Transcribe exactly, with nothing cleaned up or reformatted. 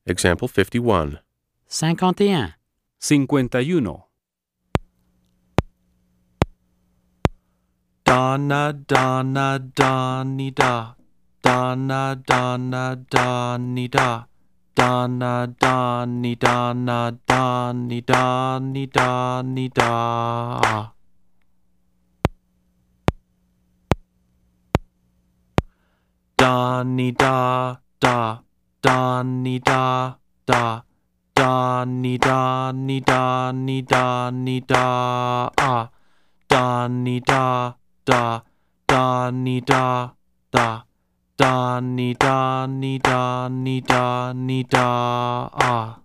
Example fifty-one. cinquante et un, cincuenta y uno. Donna, Donna, Donny, da. Donna, Donna, Donny, da. Donna, Donny, Donna, Donny, Donny, Donny, da. Donny, da, da. Donny, da, da. Donny, Donny, Donny, Donny, da. Ah. Donny, da, da. Donny, da, da. Donny, Donny, Donny, Donny, da. Ah.